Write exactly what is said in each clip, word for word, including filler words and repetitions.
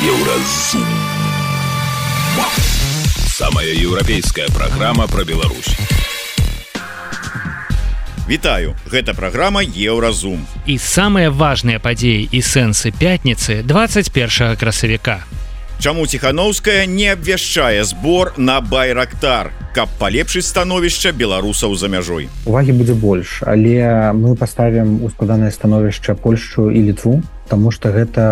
Еўразум. Самая еўрапейская праграма пра Беларусь. Вітаю, гэта праграма Еўразум. І самыя важныя падзеі і сэнсы пятніцы двадцать першага красавіка. Чаму Ціханаўская не абвяшчае збор на Байрактар, каб палепшыць становішча беларусаў за мяжой? Увагі будзе больш, але мы паставім у складанае становішча Польшчу і Літву, таму што гэта,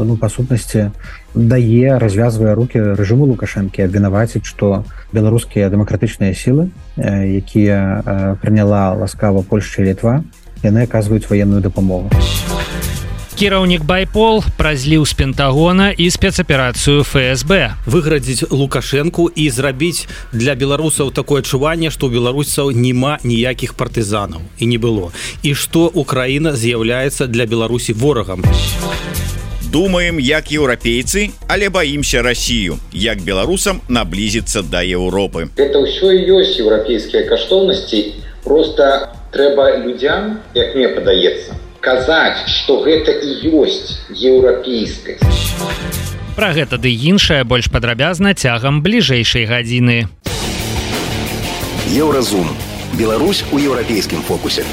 ну, па сутнасці, дае, развязвае рукі рэжыму Лукашэнкі абвінаваціць, што беларускія дэмакратычныя сілы, якія прыняла ласкава Польшча і Літва, яны аказваюць ваенную дапамогу. Кіраўнік Байпол празліў з Пентагона і спецаперацыю эф эс бэ. Выградзіць Лукашэнку і зрабіць для беларусаў такое адчуванне, што ў беларусаў няма ніякіх партызанаў і не было. І што Украіна з'яўляецца для Беларусі ворагам. Думаем, як еўрапейцы, але баімся Расію, як беларусам наблізіцца да Еўропы. Гэта ўсё і ёсць еўрапейскія каштоўнасці, проста трэба людзям, як мне падаецца, казаць, што гэта і ёсць еўрапейскасць. Пра гэта ды іншае больш падрабязна цягам бліжэйшай гадзіны. Еўразум. Беларусь у еўрапейскім фокусе.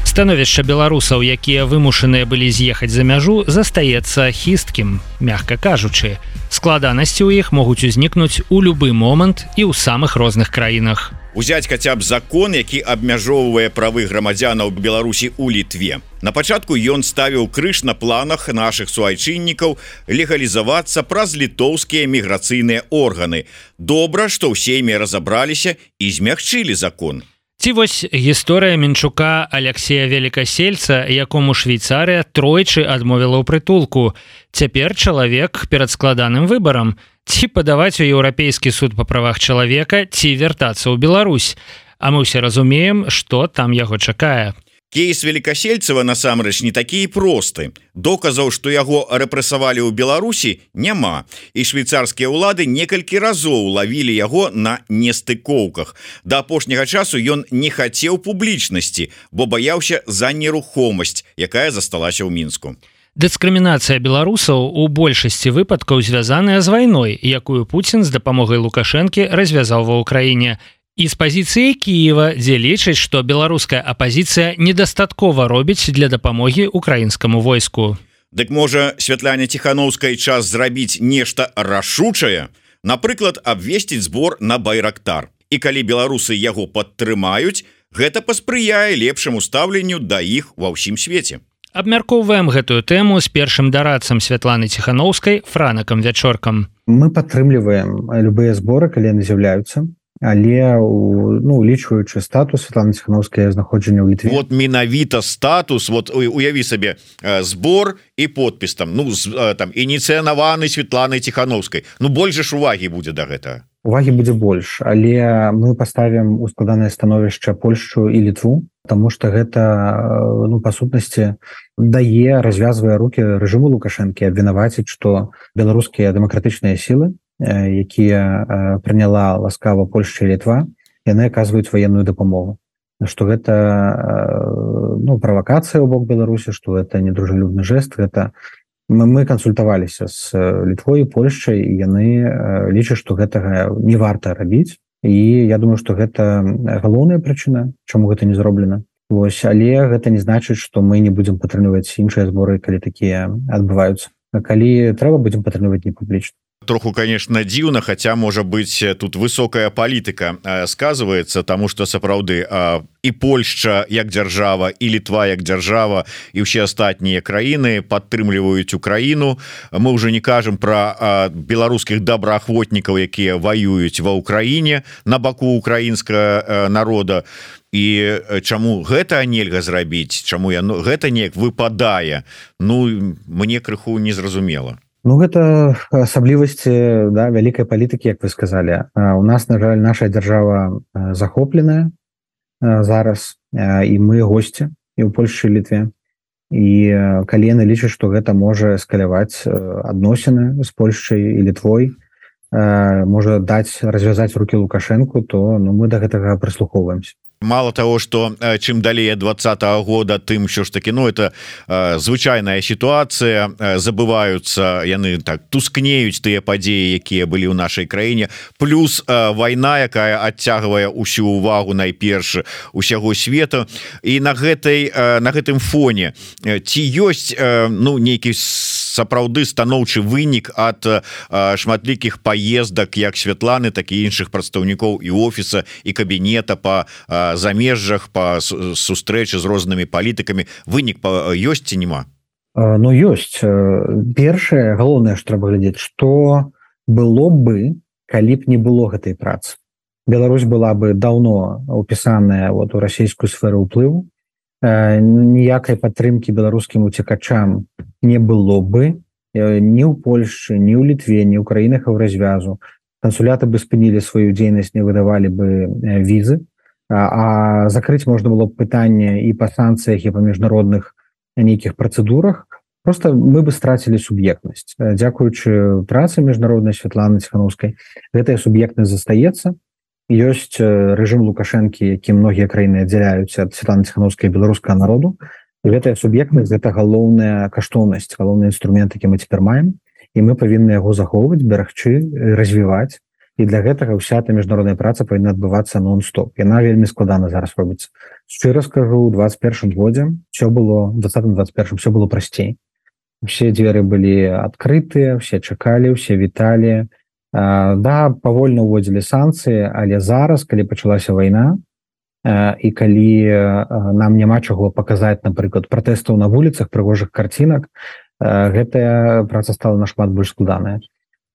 Становішча беларусаў, якія вымушаныя былі з'ехаць за мяжу, застаецца хісткім, мякка кажучы. Складанасці ў іх могуць узнікнуць у любы момант і ў самых розных краінах. Узяць хаця б закон, які абмяжоўвае правы грамадзянаў Беларусі ў Літве. На пачатку ён ставіў крыж на планах нашых суайчыннікаў легалізавацца праз літоўскія міграцыйныя органы. Добра, што ў сейме разабраліся і змягчылі закон. Ці вось гісторыя Мінчука Аляксея Велікасельца, якому Швейцарыя тройчы адмовіла ў прытулку. Цяпер чалавек перад складаным выбарам. Ці падаваць у Еўрапейскі суд па правах чалавека, ці вяртацца ў Беларусь. А мы ўсе разумеем, што там яго чакае. Кейс Велікасельцева насамрэч не такі і просты. Доказаў, што яго рэпрэсавалі ў Беларусі, няма. І швейцарскія ўлады некалькі разоў лавілі яго на нестыкоўках. Да апошняга часу ён не хацеў публічнасці, бо баяўся за нерухомасць, якая засталася ў Мінску. Дыскрымінацыя беларусаў у большасці выпадкаў звязаная з вайной, якую Пуцін з дапамогай Лукашэнкі развязаў ва ўкраіне. І з пазіцыі Кіева, дзе лічаць, што беларуская апазіцыя недастаткова робіць для дапамогі украінскаму войску. Дык можа, Святляне Ціханаўскай час зрабіць нешта рашучае? Напрыклад, абвесціць збор на Байрактар. І калі беларусы яго падтрымаюць, гэта паспрыяе лепшаму стаўленню да іх ва ўсім свеце. Абмяркоўваем гэтую тэму з першым дарадцам Святланы Ціханаўскай Франакам Вячоркам. Мы падтрымліваем любыя зборы, калі яны з'яўляюцца. Але, ну, улічваючы статус Святланы Ціханаўскай знаходжання ў Літве. Вот менавіта статус, вот уяві сабе, збор і подпіс там, ну, там, ініцыянаваны Святланай Ціханаўскай. Ну, больш ж увагі будзе да гэтага. Увагі будзе больш, але мы паставім у складанае становішча Польшчу і Літву, таму што гэта, ну, па сутнасці, дае, развязвае рукі рэжыму Лукашэнкі абвінаваціць, што беларускія дэмакратычныя сілы, якія прыняла ласкава Польшча і Літва, яны аказваюць ваенную дапамогу. Што гэта, ну, правакацыя ў бок Беларусі, што гэта недружалюбны жэст, гэта мы, мы кансультаваліся з Літвой і Польшчай, і яны лічаць, што гэтага не варта рабіць. І я думаю, што гэта галоўная прычына, чаму гэта не зроблена. Вось, але гэта не значыць, што мы не будзем падтрымліваць іншыя зборы, калі такія адбываюцца. А калі трэба, будзем падтрымліваць не публічна. Троху, конечно, дзіўна, хаця, можа быць, тут высокая палітыка сказываецца, таму што сапраўды і Польшча як дзяржава, і Літва як дзяржава, і ўсе астатнія краіны падтрымліваюць Украіну. Мы ўжо не кажам пра беларускіх добраахвотнікаў, якія ваююць ва ўкраіне на баку украінскага народа. І чаму гэта нельга зрабіць, чаму яно гэта неяк выпадае, ну, мне крыху незразумела. Ну, гэта асаблівасці, да, вялікай палітыкі, як вы сказалі. У нас, на жаль, наша дзяржава захопленая зараз, і мы госці і ў Польшчы і Літве. І калі яны лічаць, што гэта можа эскаляваць адносіны з Польшчай і Літвой, можа даць развязаць рукі Лукашэнку, то, ну, мы да гэтага прыслухоўваемся. Мало того, что чым далей двадцатого года, тым що ж таки, ну это э, звычайная ситуация, э, забываются яны так тускнеюць тыя падзеі, якія былі ў нашай краіне, плюс э, вайна, якая адцягвае усю увагу найперш усяго свету, і на гэтай э, на гэтым фоне ці ёсць э, ну нейкі сапраўды станоўчы вынік ад э, шматлікіх паездак як Святланы, так і іншых прадстаўнікоў і офіса і кабінета по э, замежжах, по сустрэчы з рознымі палітыкамі. Вынік ёсць ці няма? Ну ёсць. Першае, галоўнае, што трэба глядзець, што было бы, калі б не было гэтай працы. Беларусь была бы даўно упісаная вот у расійскую сферу ўплыву, ніякай падтрымкі беларускім уцекачам не было бы ні ў Польшчы, ні ў Літве, ні ў краінах еўразвязу. Кансуляты бы спынілі сваю дзейнасць, не выдавалі бы візы, а закрыць можна было б пытанне і па санкцыях, і па міжнародных нейкіх працэдурах. Просто мы бы страцілі суб'ектнасць. Дзякуючы працы міжнароднай Святланы Ціханаўскай, гэтая суб'ектнасць застаецца. Ёсць рэжым Лукашэнкі, які многія краіны аддзяляюць ад Святланы Ціханаўскай беларускага народу. І гэтая суб'ектнасць — гэта галоўная каштоўнасць, галоўны інструмент, які мы цяпер маем, і мы павінны яго захоўваць, берагчы, развіваць. І для гэтага ўся эта міжнародная праца павінна адбывацца нон-стоп. Яна вельмі складана зараз робіцца. Шчыра скажу, у двадцать першым годзе все было, в двадцатым двадцать первом все было прасцей. Все дзверы былі адкрытыя, все чакалі, все віталі. А, да, павольна ўводзілі санкцыі, але зараз, калі пачалася вайна, а, і калі а, нам няма чаго паказаць, напрыклад, пратэстаў на вуліцах, прыгожых карцінак, а, гэтая праца стала нашмат больш складаная.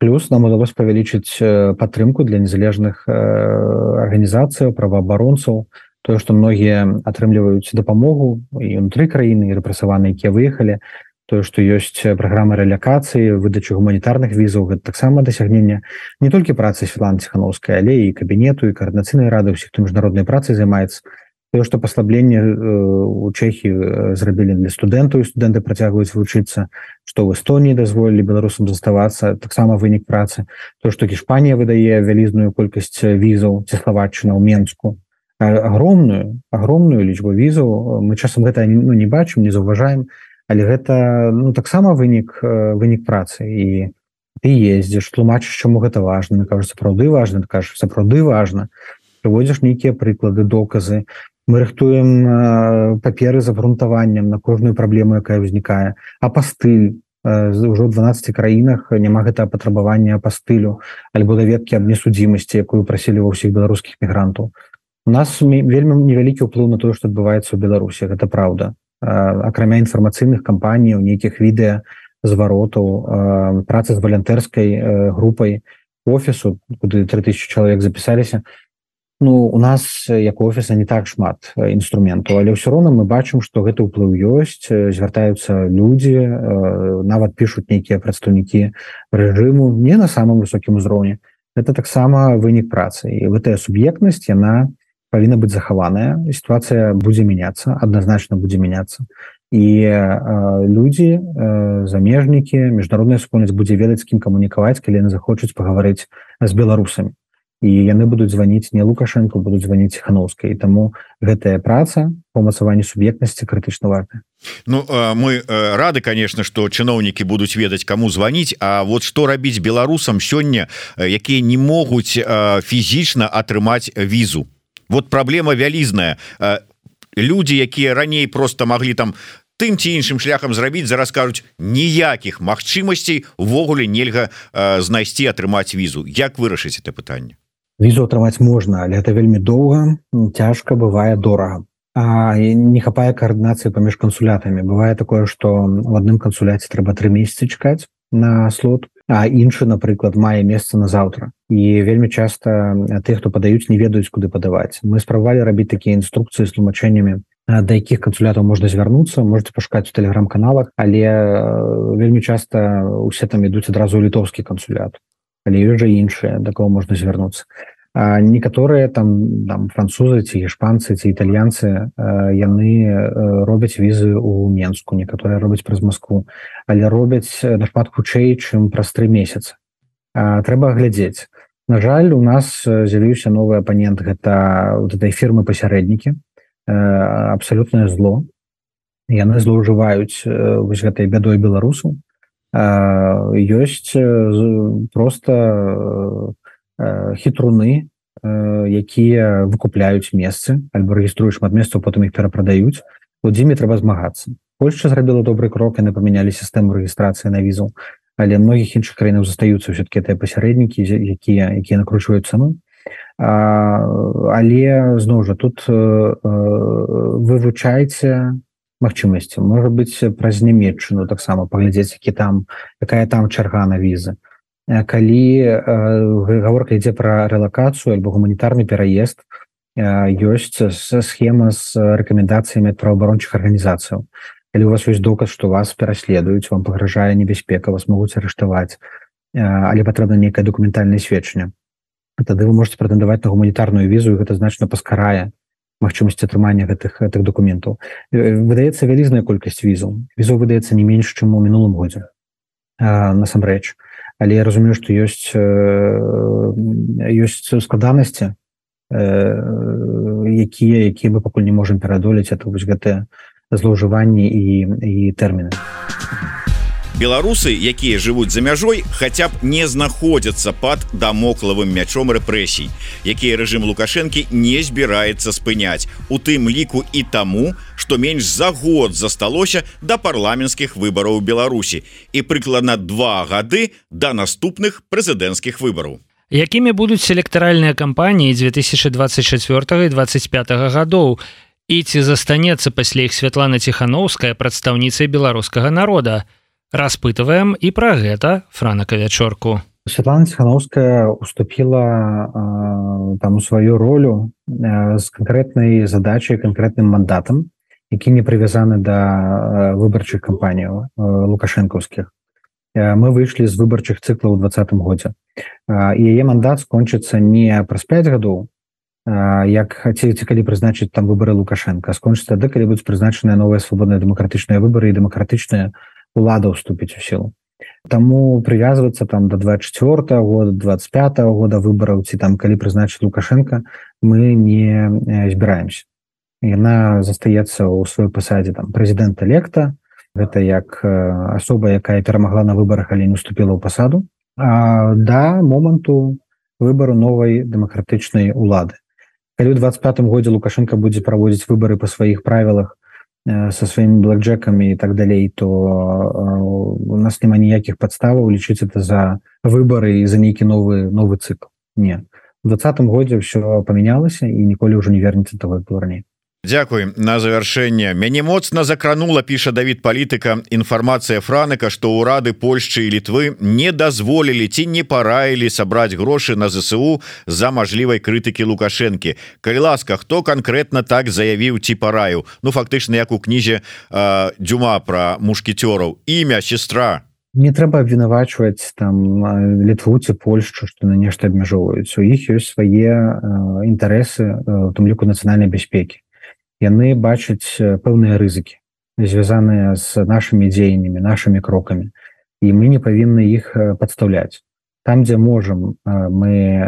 Плюс нам удалось павялічыць падтрымку для незалежных арганізацыяў, праваабаронцаў, тое, што многія атрымліваюць дапамогу і ўнутры краіны, і рэпрэсаваныя, якія выехалі, тое, што ёсць праграма рэлакацыі, выдачы гуманітарных візаў, гэта таксама дасягненне не толькі працы Святланы Ціханаўскай, але і кабінету, і каардынацыйнай рады, ўсіх, хто міжнароднай працай займаецца. Тое, што паслабленне у Чэхіі зрабілі для студэнтаў, і студэнты працягваюць вучыцца, што ў Эстоніі дазволілі беларусам заставацца, таксама вынік працы. Тое, што Іспанія выдае вялізную колькасць візаў, ці Славаччына ў Менску, агромную, агромную лічбу візаў. Мы часам гэта ну, не бачым, не заўважаем, але гэта ну, таксама вынік, вынік працы. І ты ездзіш, тлумачыш, чаму гэта важна, кажаш, сапраўды важна, ты кажаш, сапраўды важна, прыводзіш нейкія прыклады, доказы. Мы рыхтуем э, паперы з абгрунтаваннем на кожную праблему, якая ўзнікае. Апастыль. Э, ўжо ў дванаццаці краінах няма гэтага патрабавання апастылю альбо даведкі аб несудзімасці, якую прасілі ва ўсіх беларускіх мігрантаў. У нас вельмі невялікі ўплыў на тое, што адбываецца ў Беларусі. Гэта праўда. Э, акрамя інфармацыйных кампаній, нейкіх відэа, зваротаў, э, працы з валянтэрскай э, групай офісу, куды тры тысячы чалавек запісаліся. Ну, у нас, як у офіса, не так шмат інструментаў, але ўсё роўна мы бачым, што гэты ўплыў ёсць, звяртаюцца людзі, нават пішуць нейкія прадстаўнікі рэжыму, не на самым высокім узроўні. Гэта таксама вынік працы. І гэтая суб'ектнасць, яна павінна быць захаваная. Сітуацыя будзе мяняцца, адназначна будзе мяняцца. І э, людзі, э, замежнікі, міжнародная супольнасць будзе ведаць, з кім камунікаваць, калі яны захочуць пагаварыць з беларусамі. І яны будуць званіць не Лукашэнку, будуць званіць Ціханаўскай. І таму гэтая праца па ўмацаванні суб'ектнасці крытычна важная. Ну, мы рады, конечно, што чыноўнікі будуць ведаць, каму званіць, а вот што рабіць беларусам сёння, якія не могуць фізічна атрымаць візу. Вот праблема вялізная. Людзі, якія раней просто маглі там тым ці іншым шляхам зрабіць, зараз кажуць, ніякіх магчымасцей увогуле нельга знайсці, атрымаць візу. Як вырашыць это пытанне? Візу атрымаць можна, але гэта вельмі доўга, цяжка, бывае дорага. А не хапае каардынацыі паміж кансулятамі. Бывае такое, што в адным кансуляце трэба тры месяцы чакаць на слот, а іншы, напрыклад, мае месца на заўтра. І вельмі часта тых, хто падаюць, не ведаюць, куды падаваць. Мы спрабавалі рабіць такія інструкцыі з тлумачэннямі, да якіх кансулятаў можна звярнуцца, можете пашукаць у тэлеграм-каналах, але вельмі часта усе там ідуць адразу ў літоўскі кансулят. Але ёсць жа іншыя, да кого можна звярнуцца. А некаторыя там, там французы ці іспанцы ці італьянцы, яны робяць візы ў Менску, некаторыя робяць праз Маскву, але робяць нашмат хутчэй, чым праз тры месяцы. А, трэба глядзець. На жаль, у нас з'явіўся новы апанент, гэта вот этой фірмы пасярэднікі, абсалютнае зло. Яны злоўжываюць вось гэтай бядой беларусаў. Ёсць проста хітруны, якія выкупляюць месцы, альбо рэгіструюць шмат месцаў, потым іх перапрадаюць. Вот з імі трэба змагацца. Польшча зрабіла добры крок, яны памянялі сістэму рэгістрацыі на візу, але многіх іншых краінаў застаюцца ўсё-такі тыя пасярэднікі, якія якія накручваюць цану. Але зноў жа тут вывучайце магчымасці. Можа быць, праз Нямецчыну таксама паглядзець, які там якая там чарга на візы. Калі гаворка ідзе пра рэлакацыю альбо гуманітарны пераезд, ёсць схема з рэкамендацыямі ад праваабарончых арганізацыяў. Калі у вас ёсць доказ, што вас пераследуюць, вам пагражае небяспека, вас могуць арыштаваць, але патрэбна нейкае дакументальнае сведчанне, тады вы можете прэтэндаваць на гуманітарную візу, і гэта значна паскарае магчымасць атрымання гэтых гэтых дакументаў. Выдаецца вялізная колькасць візаў. Візаў выдаецца не менш, чым у мінулым годзе, насамрэч. Але я разумею, што ёсць ёсць складанасці, якія якія мы пакуль не можам пераадолець, это вось гэтыя злоўжыванні і, і тэрміны. Беларусы, якія жывуць за мяжой, хаця б не знаходзяцца пад дамоклавым мячом рэпрэсій, якія рэжым Лукашэнкі не збіраецца спыняць, у тым ліку і таму, што менш за год засталося да парламенцкіх выбараў у Беларусі і прыкладна два гады да наступных прэзідэнцкіх выбараў. Якімі будуць электаральныя кампаніі две тысячи двадцать четвёртага і двадцать пятага гадоў? І ці застанецца пасля іх Святлана Ціхановская прадстаўніцай беларускага народа? Распытываем і пра гэта Франака Вячорку. Святлана Ціхановская уступила э, там у сваю ролю э, з канкрэтнай задачай, канкрэтным мандатам, які не прывязаны да выбарчых кампаніяў э, лукашэнкаўскіх. Э, мы выйшлі з выбарчых цыклаў у двадцатым годзе. Э, і яе мандат скончыцца не праз пяць гадоў, э, як ці калі прызначыць там выбары Лукашэнка, скончыцца тады, калі будуць прызначаныя новыя свабодныя дэмакратычныя выбары і дэмакратычныя улада ўступіць у сілу. Таму прывязвацца там да двадцать четвёртага года, двадцать пятага года выбараў, ці там калі прызначыць Лукашэнка, мы не збіраемся. Яна застаецца ў сваёй пасадзе там прэзідэнта лекта, гэта як асоба, якая перамагла на выбарах, але не уступіла ў пасаду, а да моманту выбару новай дэмакратычнай улады. Калі ў двадцать пятым годзе Лукашэнка будзе праводзіць выбары па сваіх правілах со сваімі блэкджэкамі і так далей, то у нас няма ніякіх падставаў лічыць это за выбары і за нейкі новы новы цыкл. Не. У двадцатым годзе ўсё памянялася і ніколі ўжо не вернецца того, як было раней. Дзякуй. На завяршэнне. Мяне моцна закранула, піша Давід Палітыка, інфармацыя Франыка, што ўрады Польшчы і Літвы не дазволілі ці не параілі сабраць грошы на ЗСУ за мажлівай крытыкі Лукашэнкі. Калі ласка, хто канкрэтна так заявіў ці параіў? Ну, фактычна, як у кнізе э, Дюма пра мушкецёраў. Імя, сестра. Не трэба абвінавачваць там Літву ці Польшчу, што на нешта абмяжоўваюць. У іх ёсць свае э, інтарэсы, у тым ліку нацыянальнай бяспекі. Яны бачаць пэўныя рызыкі, звязаныя з нашымі дзеяннямі, нашымі крокамі, і мы не павінны іх падстаўляць. Там, дзе можам, мы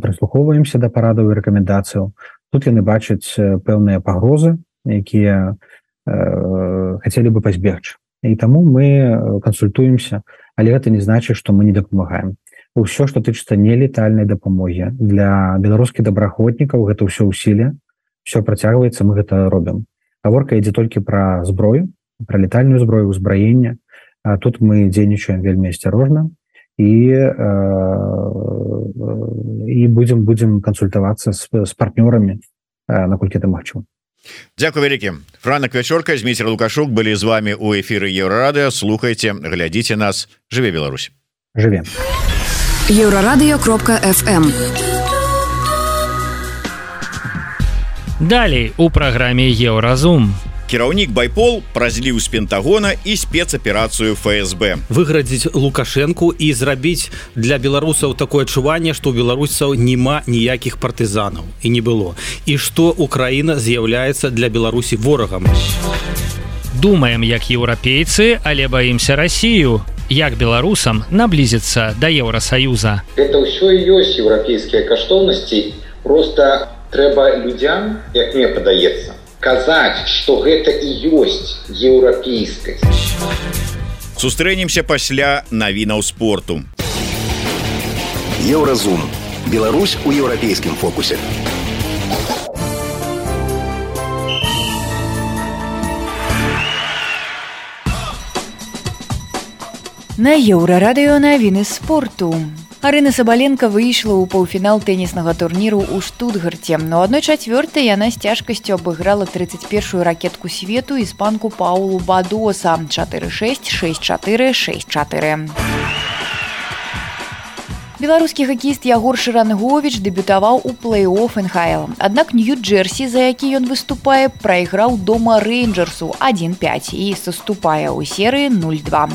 прыслухоўваемся да парадаў і рэкамендацыяў. Тут яны бачаць пэўныя пагрозы, якія хацелі бы пазбегчы. І таму мы кансультуемся, але гэта не значыць, што мы не дапамагаем. Усё, што тычыцца нелетальнай дапамогі для беларускіх добраахвотнікаў, гэта ўсё ўсіле. Все працягваецца, мы гэта робім. Гаворка ідзе толькі пра зброю, пра летальную зброю, узбраенне. А тут мы дзейнічаем вельмі асцярожна і, э, і будзем будзем кансультавацца з, з партнёрамі, э, наколькі это магчыма. Дзякуй вялікі. Франак Вячорка, Зміцер Лукашук былі з вами у эфіры Еўрарадыё. Слухайце, глядзіце нас. Жыве Беларусь. Жыве. еўрарадыё кропка эф эм. Далей у праграме Еўразум. Кіраўнік Байпол празліў з Пентагона і спецаперацыю эф эс бэ. Выградзіць Лукашэнку і зрабіць для беларусаў такое адчуванне, што ў беларусаў няма ніякіх партызанаў і не было. І што Украіна з'яўляецца для Беларусі ворагам. Думаем, як еўрапейцы, але баімся Расію. як беларусам наблизіцца да Еўрасаюза. Это ўсё і ёсць еўрапейскія каштоўнасці, просто трэба людзям, як мне падаецца, казаць, што гэта і ёсць еўрапейскасць. Сустрэнемся пасля навінаў спорту. Еўразум. Беларусь у еўрапейскім фокусе. На Еўрарадыё навіны спорту. Арына Сабаленко выйшла ў паўфінал тэніснага турніру ў Штутгарце. На адной чацвёртай яна з цяжкасцю абыграла тридцать першую ракетку свету іспанку Паулу Бадоса чатыры шэсць, шэсць чатыры, шэсць чатыры. Беларускі хакеіст Ягор Шаранговіч дэбютаваў у плэй-офф эн ха эл. Аднак Нью-Джерсі, за які ён выступае, прайграў дома Рэйнджерсу адзін пяць і саступае ў серыі нуль два.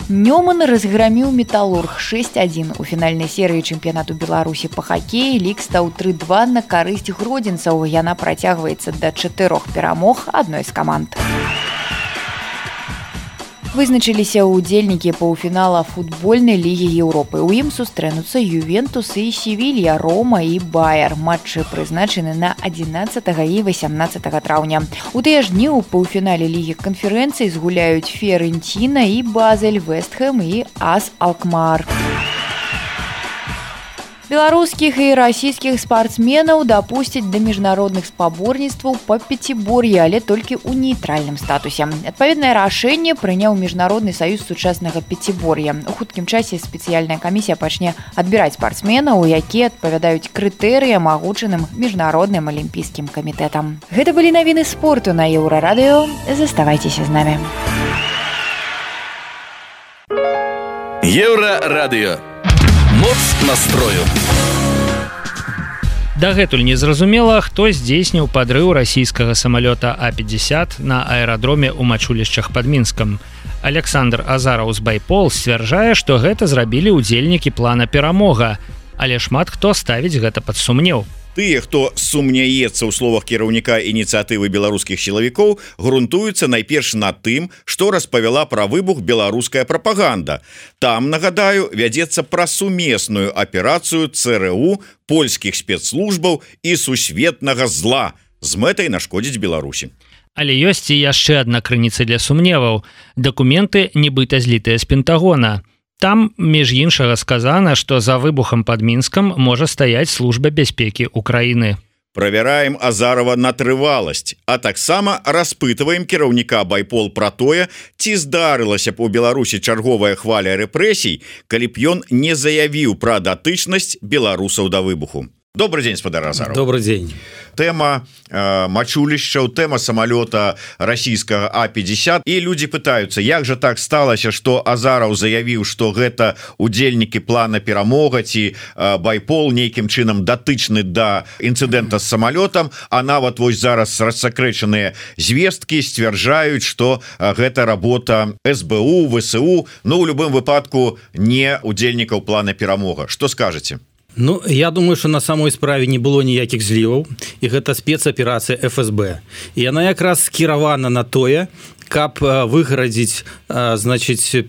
Нёман разграміў Металлург шэсць адзін. У фінальнай серыі чэмпіянату Беларусі па хакеі лік стаў тры два на карысць гродзенцаў. Яна працягваецца да чатырох перамог адной з каманд. Вызначыліся ўдзельнікі паўфінала футбольнай лігі Еўропы. У ім сустрэнуцца Ювентус і Севілья, Рома і Баяр. Матчы прызначаны на адзінаццатага і васямнаццатага траўня. У тыя ж дні ў паўфінале лігі канферэнцыі згуляюць Фіорэнціна і Базель, Вестхэм і АС Алкмар. Беларускіх і расійскіх спартсменаў дапусцяць да міжнародных спаборніцтваў па пяцібор'і, але толькі ў нейтральным статусе. Адпаведнае рашэнне прыняў Міжнародны саюз сучаснага пяцібор'я. У хуткім часе спецыяльная камісія пачне адбіраць спартсменаў, якія адпавядаюць крытэрыям, агучаным міжнародным алімпійскім камітэтам. Гэта былі навіны спорту на Еўрарадыё. Заставайцеся з намі. Еўрарадыё. Моц настрою. Дагэтуль незразумела, хто здзейсніў падрыў расійскага самалёта А пятьдесят на аэрадроме ў мачулішчах пад Мінскам. Александр Азараў з Байпол сцвярджае, што гэта зрабілі ўдзельнікі плана «Перамога», але шмат хто ставіць гэта пад сумнеў. Тыя, хто сумняецца ў словах кіраўніка ініцыятывы беларускіх сілавікоў, грунтуюцца найперш на тым, што распавяла пра выбух беларуская прапаганда. Там, нагадаю, вядзецца пра сумесную аперацыю цэ эр у, польскіх спецслужбаў і сусветнага зла з мэтай нашкодзіць Беларусі. Але ёсць і яшчэ адна крыніца для сумневаў. Дакументы нібыта злітыя з Пентагона. Там, між іншага, сказана, што за выбухам пад Мінскам можа стаяць служба бяспекі Украіны. Правяраем Азарова на трываласць, а таксама распытваем кіраўніка Байпол пра тое, ці здарылася б у Беларусі чарговая хваля рэпрэсій, калі б ён не заявіў пра датычнасць беларусаў да выбуху. Добрый день, спадар Азаров. Добрый день. Тэма э, мачулішчаў, тэма самалёта расійскага А пятьдесят. І людзі пытаюцца, як жа так сталася, што Азараў заявіў, што гэта удзельнікі плана «Перамога» ці э, Байпол нейкім чынам датычны да інцыдэнта з самалётам, а нават вось зараз рассакрэчаныя звесткі сцвярджаюць, што э, гэта работа эс бэ у, вэ эс у, ну, у любым выпадку не удзельнікаў плана «Перамога». Што скажаце? Ну, я думаю, что на самой справе не было ніякіх зліваў, і гэта спецаперацыя эф эс бэ. І яна якраз скіравана на тое, каб выградзіць, значыць,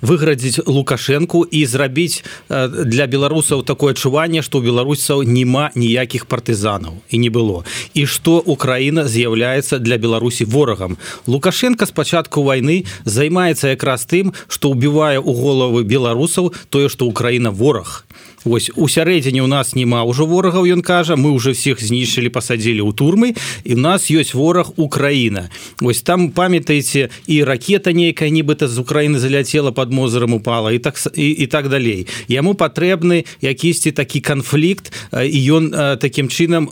выградзіць Лукашэнку і зрабіць для беларусаў такое адчуванне, што ў беларусаў няма ніякіх партызанаў і не было. І што Украіна з'яўляецца для Беларусі ворагам. Лукашенко з пачатку вайны займаецца якраз тым, што ўбівае ў головы беларусаў тое, што Украіна вораг. Вось у сярэдзіне у нас няма ўжо ворагаў, ён кажа, мы ўжо всіх знішчылі, пасадзілі ў турмы, і ў нас ёсць вораг Украіна. Вось там, памятаеце, і ракета нейкая нібыта з Украіны заляцела, пад Мозырам упала, і так, і, і так далей. Яму патрэбны якісьці такі канфлікт, і ён такім чынам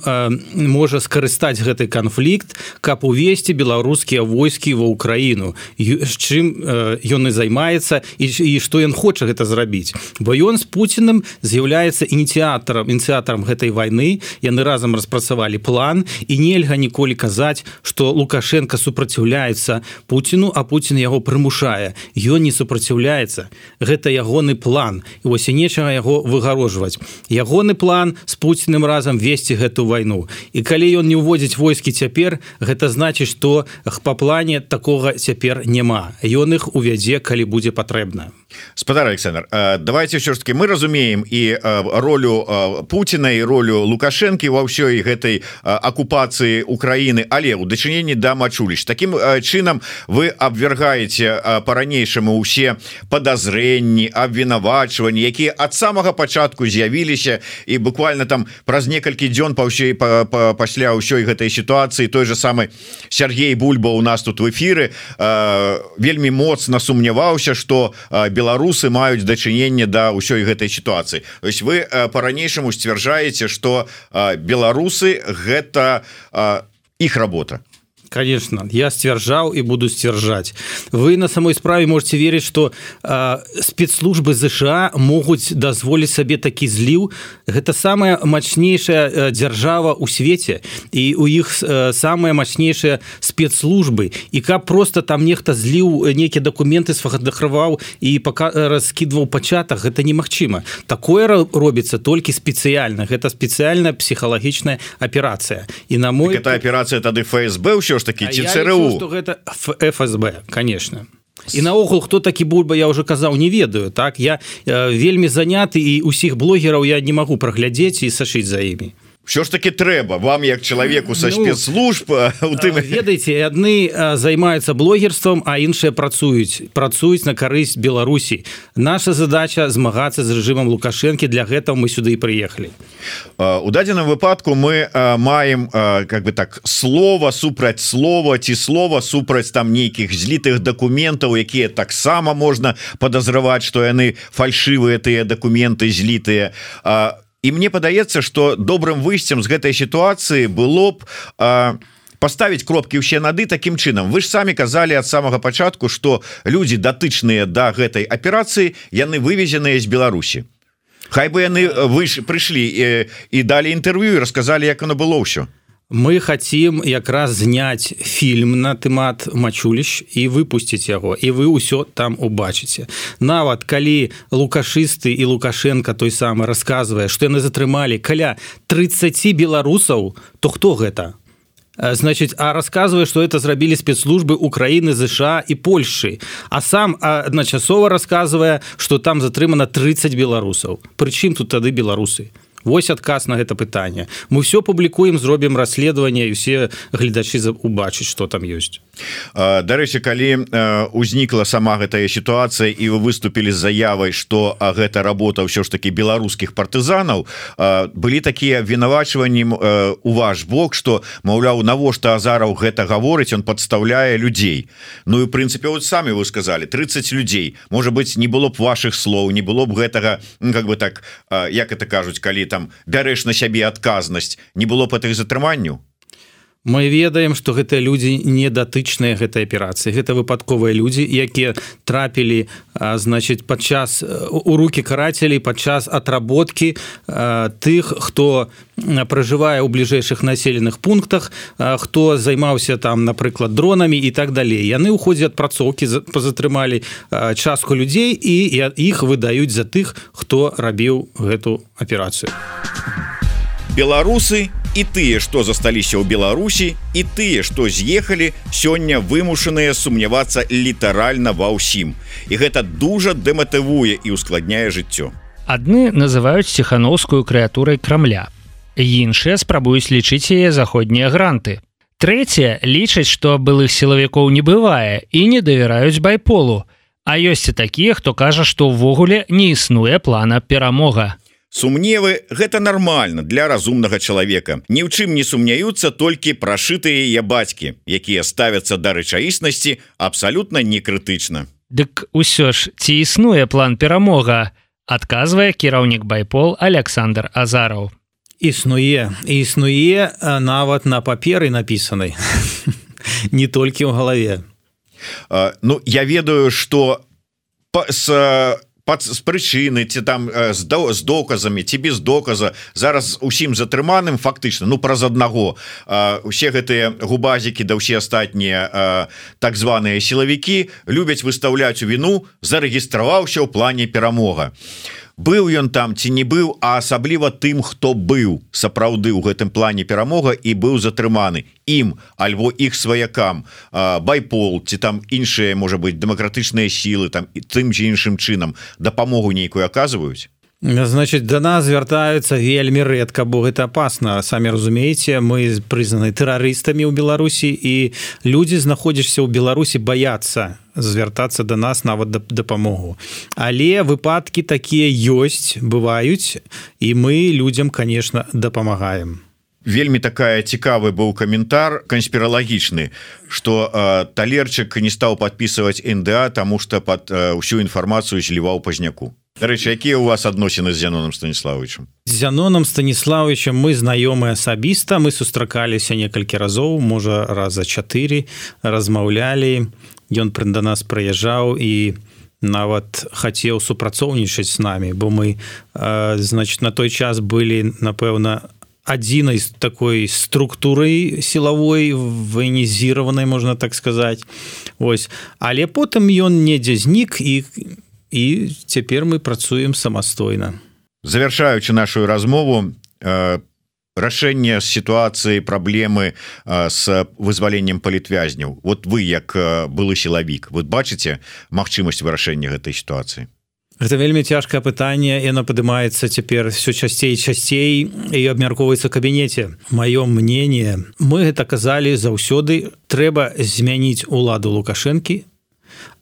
можа скарыстаць гэты канфлікт, каб увесці беларускія войскі ва Украіну. З чым ён і займаецца, і, і што ён хоча гэта зрабіць. Бо ён з Пуцінам з'яўляецца з'яўляецца ініцыятарам ініцыятарам гэтай вайны. Яны разам распрацавалі план, і нельга ніколі казаць, што Лукашенко супраціўляецца Пуціну, а Пуцін яго прымушае. Ён не супраціўляецца. Гэта ягоны план. І вось і нечага яго выгарожваць. Ягоны план з Пуціным разам весці гэту вайну. І калі ён не ўводзіць войскі цяпер, гэта значыць, што па плане такога цяпер няма. Ён іх увядзе, калі будзе патрэбна. Спадар Александр, давайте ўсё ж таки мы разумеем і ролю Пуціна і ролю Лукашэнкі ва ўсёй гэтай акупацыі Украіны, але ў дачыненні да Мачуліч. Такім чынам вы абвергаеце па-ранейшаму ўсе падазрэнні, абвінавачванні, якія ад самага пачатку з'явіліся, і буквально там праз некалькі дзён па ўсёй па, па, пасля ўсёй гэтай сітуацыі той же самы Сергей Бульба у нас тут в эфіры вельмі моцна сумняваўся, што беларусы маюць дачыненне да ўсёй гэтай сітуацыі. То есть вы па-ранейшаму сцвярджаеце, што беларусы гэта іх работа. Конечно, я сцвярджаў і буду сцвярджаць. Вы на самой справе можете верыць, што э, спецслужбы ЗША могуць дазволіць сабе такі зліў. Гэта самая мацнейшая э, дзяржава ў свеце, і у іх э, самыя мацнейшыя спецслужбы. І каб просто там нехта зліў нейкія дакументы, сфотаграфаваў і пока раскідваў пачатак, гэта немагчыма. Такое робіцца толькі спецыяльна. Гэта спецыяльная псіхалагічная аперацыя. І на мой... Так, гэта аперацыя тады ФСБ ўсё ж такі, ці ЦРУ? Я лічу, што гэта ФСБ, конечно. І наогул, хто такі Бульба, я ўжо казаў, не ведаю. Так, я э, вельмі заняты, і ўсіх блогераў я не магу праглядзець і сачыць за імі. Що ж таки треба вам, як чалавеку са ну, спецслужб, у тым... Ведаеце, адны займаюцца блогерствам, а іншыя працуюць працуюць на карысць Беларусі. Наша задача змагацца з рэжымам Лукашэнкі, для гэтага мы сюды і прыехалі. У дадзеным выпадку мы маем как бы так слова супраць слова ці слова супраць там нейкіх злітых дакументаў, якія таксама можна падазраваць, што яны фальшывыя, тыя дакументы злітыя. І мне падаецца, што добрым выйсцем з гэтай сітуацыі было б а, паставіць кропкі ўсе нады такім чынам. Вы ж самі казалі ад самага пачатку, што людзі датычныя да гэтай аперацыі, яны вывезеныя з Беларусі. Хай бы яны выш... прыйшлі і, і далі інтэрв'ю і расказалі, як оно было ўсё. Мы хотим якраз зняць фільм на тэмат Мачуліч і выпусціць яго, і вы ўсё там убачыце. Нават калі лукашысты і Лукашенко той самы расказвае, што яны затрымалі каля тридцать беларусаў, то хто гэта? Значит, а расказвае, што это зрабілі спецслужбы Украіны, ЗША і Польшчы, а сам адначасова расказвае, што там затрымана тридцать беларусаў. Прычым тут тады беларусы? Вось адказ на гэта пытанне. Мы ўсё публікуем, зробім расследаванне, і ўсе гледачы убачаць, што там ёсць. Дарэчы, калі узнікла сама гэтая сітуацыя і вы выступілі з заявай, што гэта работа ўсё ж такі беларускіх партызанаў, былі такія абвінавачванні у ваш бок, што, маўляў, навошта Азараў гэта гаворыць, он падстаўляе людзей. Ну і, ў прынцыпе, вот самі вы сказалі, тридцать людзей. Можа быць, не было б вашых слоў, не было б гэтага, как бы так, як это кажуць, калі там бярэш на сябе адказнасць, не было б гэтых затрыманняў? Мы ведаем, што гэтыя людзі не датычныя гэтай аперацыі. Гэта выпадковыя людзі, якія трапілі, значыць, падчас у рукі карацелей падчас атработкі тых, хто пражывае ў бліжэйшых населеных пунктах, хто займаўся там, напрыклад, дронамі і так далей. Яны ў ходзе адпрацоўкі пазатрымалі частку людзей і іх выдаюць за тых, хто рабіў гэту аперацыю. Беларусы і тыя, што засталіся ў Беларусі, і тыя, што з'ехалі, сёння вымушаныя сумнявацца літаральна ва ўсім. І гэта дужа дэматывуе і ускладняе жыццё. Адны называюць Ціхановскую крэатурай Крамля. Іншыя спрабуюць лічыць яе заходнія гранты. Трэція лічаць, што былых сілавікоў не бывае і не давяраюць байполу. А ёсць і такія, хто кажа, што ўвогуле не існуе плана перамога. Сумневы – гэта нармальна для разумнага чалавека. Ні ў чым не сумняюцца толькі прашытыя яе бацькі, якія ставяцца да рэчаіснасці абсалютна некрытычна. Дык усё ж, ці існуе план перамога? Адказвае кіраўнік байпол Александр Азараў. Існуе, існуе нават на паперы напісанай, не толькі ў галаве. Ну, я ведаю, што с пад з прычыны ці там з, до, з доказамі ці без доказа зараз усім затрыманым фактычна ну праз аднаго усе гэтыя губазікі да ўсе астатнія так званыя сілавікі любяць выстаўляць у віну зарэгістраваўся ў плане перамога. Быў ён там ці не быў, а асабліва тым, хто быў сапраўды ў гэтым плане перамога і быў затрыманы ім альбо іх сваякам байпол ці там іншыя можа быть дэмакратычныя сілы там і тым ці іншым чынам дапамогу нейкую аказваюць. Значит, до нас звяртаюцца вельмі рэдка, бо гэта опасно. Самі разумееце, мы прызнаны тэрарыстамі ў Беларусі і людзі, знаходзішся ў Беларусі, баяцца звяртацца до нас нават дапамогу. Але выпадкі такія ёсць, бываюць, і мы людзям, конечно, дапамагаем. Вельмі такая цікавы быў каментар канспіралагічны, што э, Талерчык не стаў падпісваць эн дэ а, таму што пад э, ўсю інфармацыю зліваў Пазняку. Дарэчы, якія у вас адносіны з Зяноном Станіславовичем? З Зяноном Станіславовичем мы знаёмы асабіста, мы сустракаліся некалькі разоў, можа раза чатыры, размаўлялі. Ён да нас прыязджаў і нават хацеў супрацоўнічаць з намі, бо мы э, значит, на той час былі, напэўна, адзінай такой структурай сілавой, военізіраванай, можна так сказаць. Ось. Але потым ён недзе знік і і цяпер мы працуем самастойна. Завяршаючы нашу размову, э, рашэнне сітуацыі, праблемы э, з вызваленнем палітвязняў. Вот вы, як э, былы сілавік, вы бачыце магчымасць вырашэння гэтай сітуацыі? Гэта вельмі цяжкае пытанне, яно падымаецца цяпер все часцей і часцей і абмяркоўваецца ў кабінеце. Маё мнение, мы гэта казалі заўсёды, трэба змяніць уладу Лукашэнкі,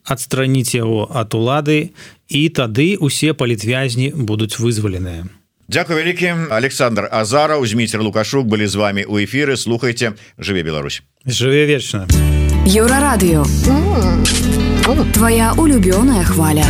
адстраніць яго ад улады, і тады усе палітвязні будуць вызваленыя. Дзякуй вялікі. Александр Азараў, Зміцер Лукашук былі з вами ў эфіры. Слухайце, жыве Беларусь. Жыве вечна. Еўрарадыё. Твоя улюбёная хваля.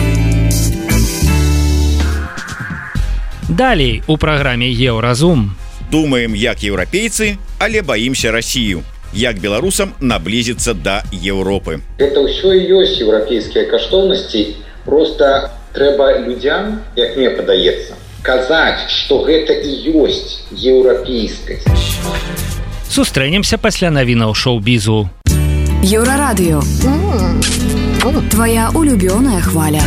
Далей у праграме Еўразум. Думаем, як еўрапейцы, але баімся Расію. Як беларусам наблизіцца да Еўропы. Гэта ўсё і ёсць еўрапейскія каштоўнасці, просто трэба людзям, як мне падаецца, казаць, што гэта і ёсць еўрапейскасць. Сустрэнемся пасля навінаў шоу-бізу. Еўрарадыё. Твоя улюбёная хваля.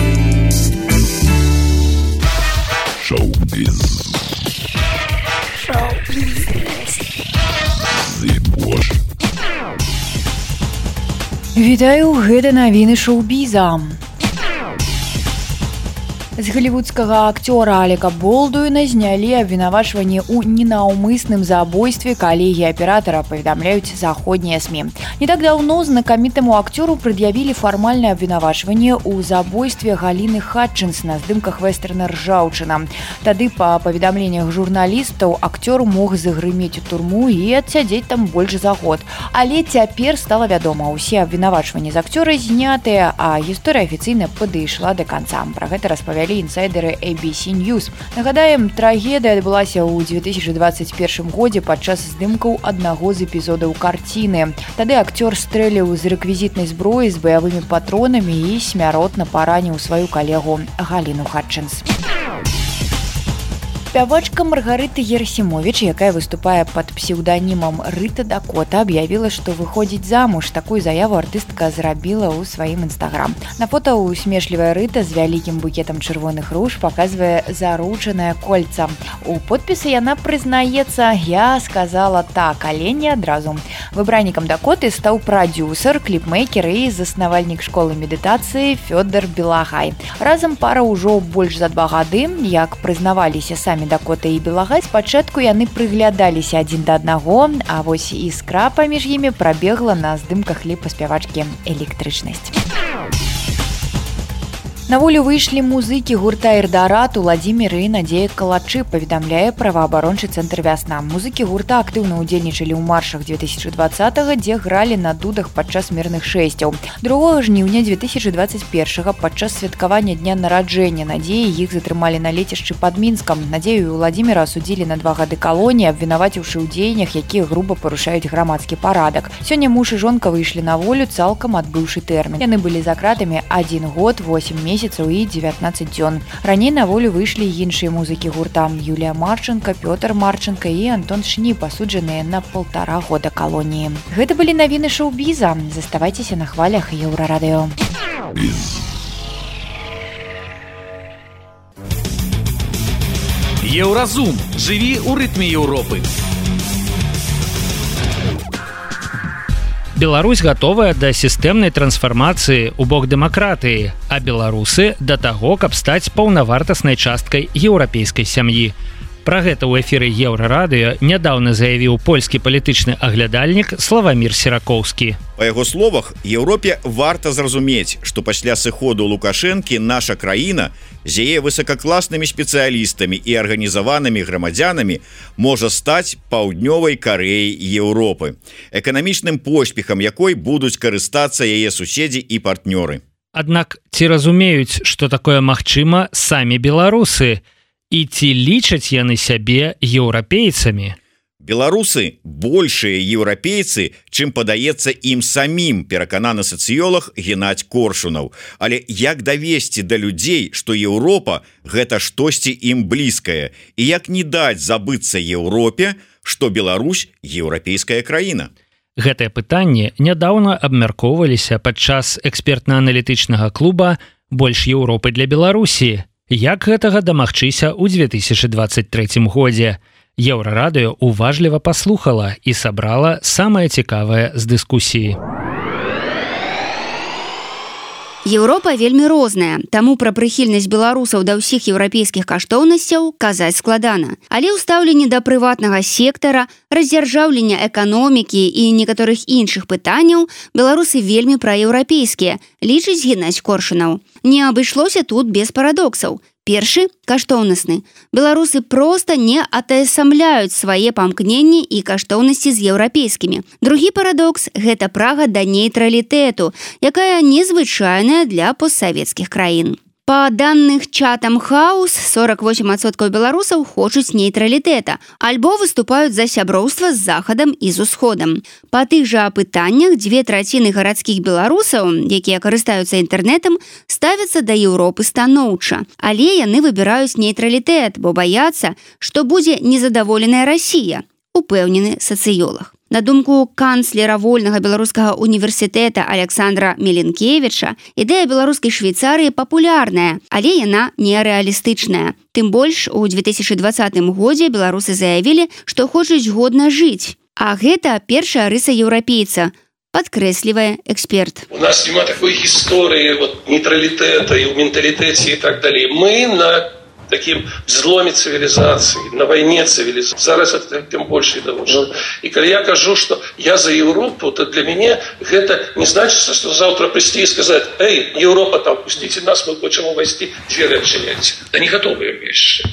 Шоу-біз. Шоу-біз. Вітаю, гэта навіны шоу-біза. З галівудскага акцёра Алека Болдуіна знялі абвінавачванне ў ненаўмысным забойстве, калегі аператара, паведамляюць заходнія СМІ. Не так даўно знакамітаму акцёру прад'явілі фармальнае абвінавачванне ў забойстве Галіны Хатчынс на здымках вэстэрна «Ржаўчына». Тады, па паведамленнях журналістаў, акцёр мог загрымець у турму і адсядзець там больш за год. Але цяпер стала вядома, усе абвінавачванні з акцёра знятыя, а гісторыя афіцыйна падышла да канца. Пра гэта распавялі інсайдеры эй би си News. Нагадаем, трагедыя адбылася ў дзве тысячы дваццаць першым годзе падчас здымкаў аднаго з эпізодаў карціны. Тады акцёр стрэліў з рэквізітнай зброі з баявымі патронамі і смяротна параніў сваю калегу Галіну Хатчынс. Спявачка Маргарыта Герасімовіч, якая выступае пад псеўданімам Рыта Дакота, аб'явіла, што выходзіць замуж. Такую заяву артыстка зрабіла ў сваім інстаграм. На фота усмешлівая Рыта з вялікім букетам чырвоных руж паказвае заручанае кольца. У подпісы яна прызнаецца: «Я сказала так, але не адразу». Выбраннікам Дакоты стаў прадюсер, кліпмейкер і заснавальнік школы медытацыі Фёдор Белагай. Разам пара ўжо больш за два гады. Як прызнаваліся самі Дакота і Белагай, спачатку яны прыглядаліся адзін да аднаго, а вось іскра паміж імі прабегла на здымках кліпа спявачкі «Электрычнасць». На волю выйшлі музыкі гурта «Эрдарат» Уладзімір і Надзея Калачы, паведамляе праваабарончы цэнтр «Вясна». Музыкі гурта актыўна ўдзельнічалі ў маршах дзве тысячы дваццатага, дзе гралі на дудах падчас мірных шэсцяў. другога жніўня дзве тысячы дваццаць першага падчас святкавання дня нараджэння Надзеі іх затрымалі на лецішчы пад Мінскам. Надзею і Уладзіміра асудзілі на два гады калоніі, абвінаваціўшы ў дзеяннях, якія груба парушаюць грамадскі парадак. Сёння муж і жонка выйшлі на волю, цалкам адбыўшы тэрмін. Яны былі за кратамі адзін год, восем месяцаў месяцаў і дзевятнаццаць дзён. Раней на волю выйшлі іншыя музыкі гурта: Юлія Марченко, Пётр Марченко і Антон Шніп, асуджаныя на полтора года калоніі. Гэта былі навіны шоу-біза. Заставайцеся на хвалях Еўрарадыё. Еўразум. Жыві ў рытме Еўропы. Беларусь гатовая да сістэмнай трансфармацыі ў бок дэмакратыі, а беларусы да таго, каб стаць паўнавартаснай часткай еўрапейскай сям'і. Пра гэта ў эфіры Еўрарадыё нядаўна заявіў польскі палітычны аглядальнік Славамір Серакоўскі. Па яго словах, Еўропе варта зразумець, што пасля сыходу Лукашэнкі наша краіна з яе высокакласнымі спецыялістамі і арганізаванымі грамадзянамі можа стаць паўднёвай Карэяй Еўропы, эканамічным поспехам якой будуць карыстацца яе суседзі і партнёры. Аднак ці разумеюць, што такое магчыма самі беларусы? І ці лічаць яны сябе еўрапейцамі? Беларусы большыя еўрапейцы, чым падаецца ім самім, перакананы сацыёлаг Геннадзь Коршунаў. Але як давесці да людзей, што Еўропа гэта штосьці ім блізкае, і як не даць забыцца Еўропе, што Беларусь еўрапейская краіна? Гэтае пытанне нядаўна абмяркоўваліся падчас экспертна-аналітычнага клуба «Больш Еўропы для Беларусі». Як гэтага дамагчыся ў дзве тысячы дваццаць трэцім годзе? Еўрарадыё уважліва паслухала і сабрала самае цікавае з дыскусіі. Еўропа вельмі розная, таму пра прыхільнасць беларусаў да ўсіх еўрапейскіх каштоўнасцяў казаць складана. Але ў стаўленні да прыватнага сектара, раздзяржаўлення эканомікі і некаторых іншых пытанняў беларусы вельмі праеўрапейскія, лічыць Геннадзь Коршунаў. Не абышлося тут без парадоксаў. Першы – каштоўнасны. Беларусы проста не атаясамляюць свае памкненні і каштоўнасці з еўрапейскімі. Другі парадокс – гэта прага да нейтралітэту, якая незвычайная для постсавецкіх краін. Па даных Chatham House, сорок восемь адсоткаў беларусаў хочуць нейтралітэта, альбо выступаюць за сяброўства з Захадам і з Усходам. Па тых жа пытаннях дзве траціны гарадскіх беларусаў, якія карыстаюцца інтэрнэтам, ставяцца да Еўропы станоўча. Але яны выбіраюць нейтралітэт, бо баяцца, што будзе незадаволеная Расія, упэўнены сацыёлаг. На думку канцлера вольнага беларускага універсітэта Александра Меленкевіча, ідэя беларускай Швейцарыі папулярная, але яна нерэалістычная. Тым больш, у дзве тысячы дваццатым годзе беларусы заявілі, што хочуць годна жыць. А гэта першая рыса еўрапейца, падкрэслівае эксперт. У нас няма такой гісторыі вот, нейтралітэта і ў менталітэце і так далей. Мы на таким взломе цивилизации, на войне цивилизации. Зараз это тем больше довольно. И когда я кажу, что я за Европу, то для меня это не значит, что завтра прийти и сказать: эй, Европа, там, пустите нас, мы хотим увести, двери отчиняйте. Да не готовые вещи.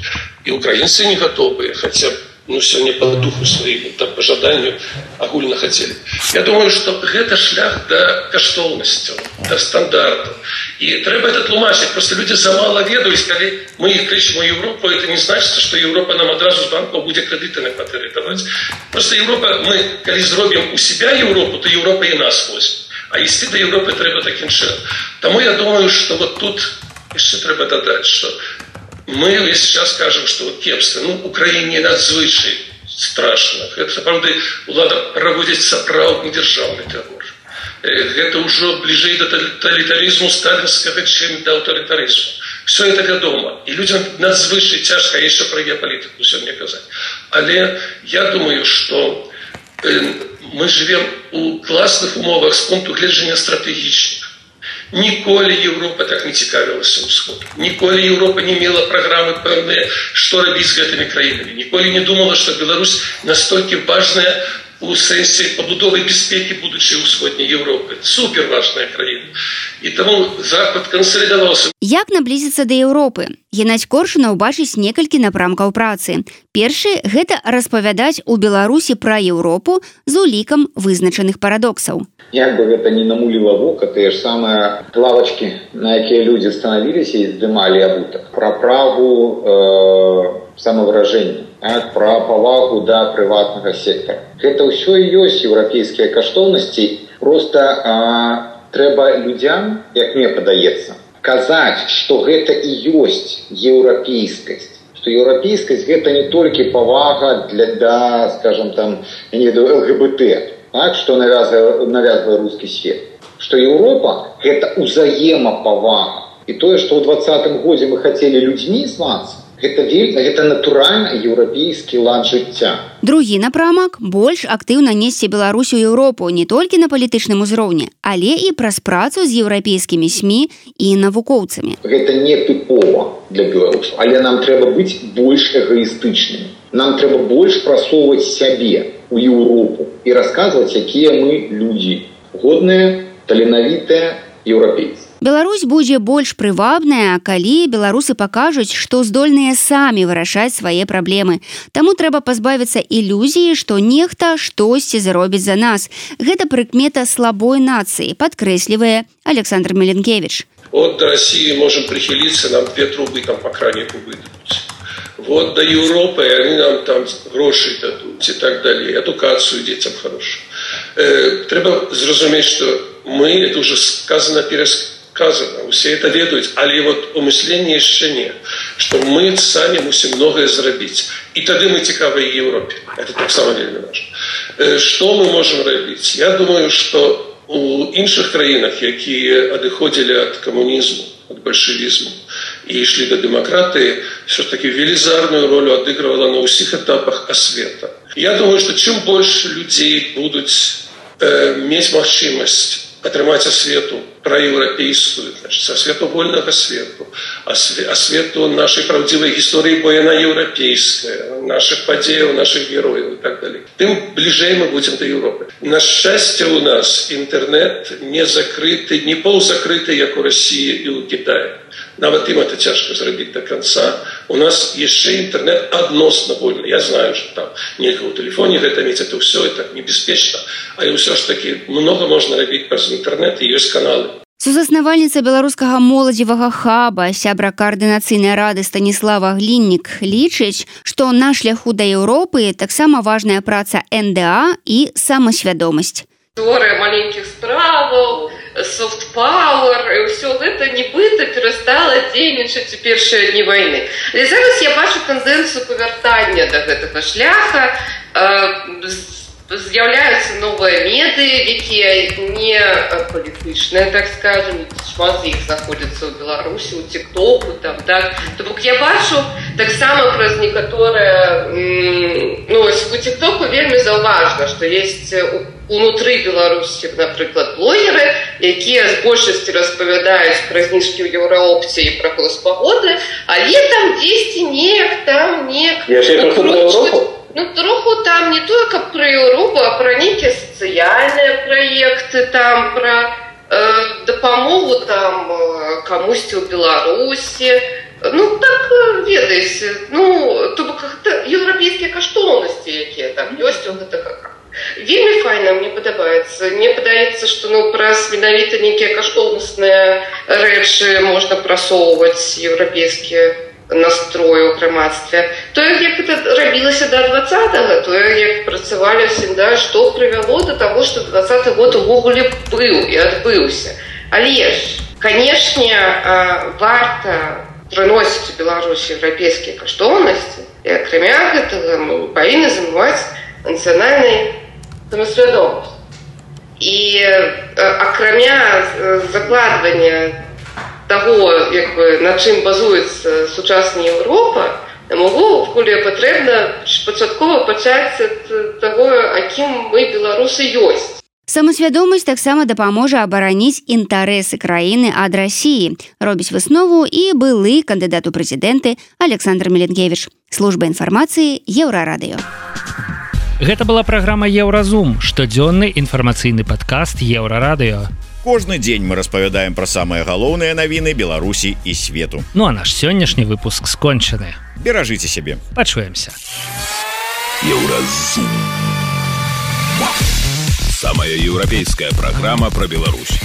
И украинцы не готовые, хотя ну, сегодня по духу своему, там, по жаданию агульно хотели. Я думаю, что это шлях до каштоўнасцяў, до стандартов. И треба это тлумачить. Просто люди замало ведаюць, калі мы их кричим Европу, это не значит, что Европа нам одразу з банку будет кредиты на квартиры давать. Просто Европа, мы, калі зробим у себя Европу, то Европа и нас возьме. А ісці до Европы треба таким чином. Тому я думаю, что вот тут еще треба додать, что мы сейчас скажем, что вот кепство, ну, Украине надзвычай страшно. Это, правда, улада проводит сапраўдны державный террор. Это уже ближе до тоталитаризму сталинского, чем до авторитаризма. Все это вядома. И людям надзвычай тяжко, еще про геополитику сегодня казать. Але я думаю, что мы живем у классных умовах с пункту гледжання стратегічных. Ніколі Європа так не цікавилася Усходу. Ніколі Європа не мела програми певні, що робити з гэтымі країнами. Ніколі не думала, що Білорусь настільки важна у сенсі побудови безпеки будущей Усходней Європи. Супер важная країна. І тому Захад консолідувався. Як наблизіцца да Еўропы? Геннадзь Коршунаў бачыць некалькі напрамкаў працы. Першы – гэта распавядаць у Беларусі пра Еўропу з улікам вызначаных парадоксаў. Як бы гэта не намуліла вока, тыя ж самыя лавачкі, на якія людзі станавіліся і здымалі абутак. Пра праву э, самавыражэння, пра павагу да прыватнага сектара. Гэта ўсё і ёсць еўрапейскія каштоўнасці. Проста э, трэба людзям, як мне падаецца, казаць, што гэта і ёсць еўрапейскасць, што еўрапейскасць гэта не толькі павага для, да, скажем, там, я не ведаю, ЛГБТ, так, што навязвае, навязвае рускі свет, што Еўропа гэта узаемапавага. І тое, што ў двадцатым годзе мы хацелі людзьмі звацца, гэта вельмі, гэта натуральны еўрапейскі лад жыцця. Другі напрамак больш актыўна несці Беларусь у Еўропу не толькі на палітычным узроўні, але і праз працу з еўрапейскімі СМІ і навукоўцамі. Гэта не тыпова для беларусаў, але нам трэба быць больш эгоістычнымі. Нам трэба больш прасоўваць сябе у Еўропу і расказваць, якія мы людзі, годныя, таленавітыя еўрапейцы. Беларусь будзе больш прывабная, калі беларусы пакажуць, што здольныя самі вырашаць свае праблемы. Таму трэба пазбавіцца ілюзіі, што нехта штосьці зробіць за нас. Гэта прыкмета слабой нацыі, падкрэслівае Александр Меленкевич. От до России можем прихилиться, нам две трубы там по кранику выдадут. Вот до Европы они нам там гроши дадут и так далее, эдукацию детям хорошую. Э, треба зразумець, что мы, это уже сказано, пересказано, все это ведают, але вот умысление еще не, что мы сами мусим многое зрабіць. И тогда мы цікавы Европе. Это так само вельмі важно. Э, что мы можем робить? Я думаю, что у іншых краінах, якія адыходзілі ад камунізму, ад бальшавізму і ішлі да дэмакратыі, все ж таки велізарную ролю адыгрывала на ўсіх этапах асвета. Я думаю, что чым больш людзей будуць э, мець магчымасць атрымаць асвету праеўрапейскую, значит, асвету вольнага свету, асвету нашай праўдзівай гісторыі, бо яна еўрапейская, наших падзеяў, наших герояў и так далее. Тым бліжэй мы будем до Европы. На шчасце у нас интернет не закрыты, не полузакрыты, як у России и у Китая. Нават им это тяжко зрабіць до конца. У нас яшчэ интернет адносна вольны. Я знаю, что там нельга ў телефоне гэта мець, это все это небяспечна, але ўсё ж таки много можна рабіць праз интернет, і ёсць каналы. Сузаснавальніца беларускага моладзевага хаба, сябра каардынацыйнай рады Станіслава Гліннік лічыць, што на шляху да Еўропы таксама важная праца эн дэ а і самасвядомасць. Теория маленьких справок, софт-пауэр, и все это нібыта перестало дзейнічаць у першыя дні войны. Але зараз я бачу тенденцию повяртання до гэтага шляха, з'являюцца новыя медыі, якія не палітычныя, так скажем, шмат з іх знаходзяцца ў Беларусі, у тиктоку, там, так. То бок я бачу таксама праз некаторыя, ну, у тиктоку вельмі заўважна, што есть унутры Беларусі, напрыклад, блогеры, якія з большасці распавядаюць пра зніжкі ў Еўраопце і пра госпагоды, але там дзесьці неяк там неяк укручваць. Ну, троху там не только про Европу, а про некие социальные проекты, там, про э, допомогу там комусь в Беларуси. Ну, так, ведаеце, ну, то как-то европейские каштоўнасці, якія там ёсць, у гэта как. Вельмі файна, мне падабаецца. Мне падаецца, што, ну, праз менавіта некія каштоўнасныя рэчы можна прасоўваць еўрапейскія настрою ў грамадстве. Тое, як это рабілася да двадцатага, тое, як працавалі всегда, што прывяло до того, што двадцаты год увогуле быў і адбыўся. Але ж, канешне, варта прыносіць у Беларусі еўрапейскія каштоўнасці, і акрамя гэтага мы павінны замываць нацыянальнай самасвядомасць. І акрамя закладвання того, як бы, на чым базуецца сучасная Еўропа, могу вколе патрэбна пачаткова пачаць ад таго, акім мы беларусы ёсць. Самасвядомасць таксама дапаможа абараніць інтарэсы краіны ад Расіі, робіць выснову і былы кандыдат у прэзідэнты Александр Меленкевич. Служба інфармацыі Еўрарадыё. Гэта была праграма Еўразум, штодзённы інфармацыйны падкаст Еўрарадыё. Кожны дзень мы распавядаем пра самыя галоўныя навіны Беларусі і свету. Ну а наш сённяшні выпуск скончаны. Беражыце сябе. Пачуемся. Еўразум. Самая еўрапейская праграма пра Беларусь.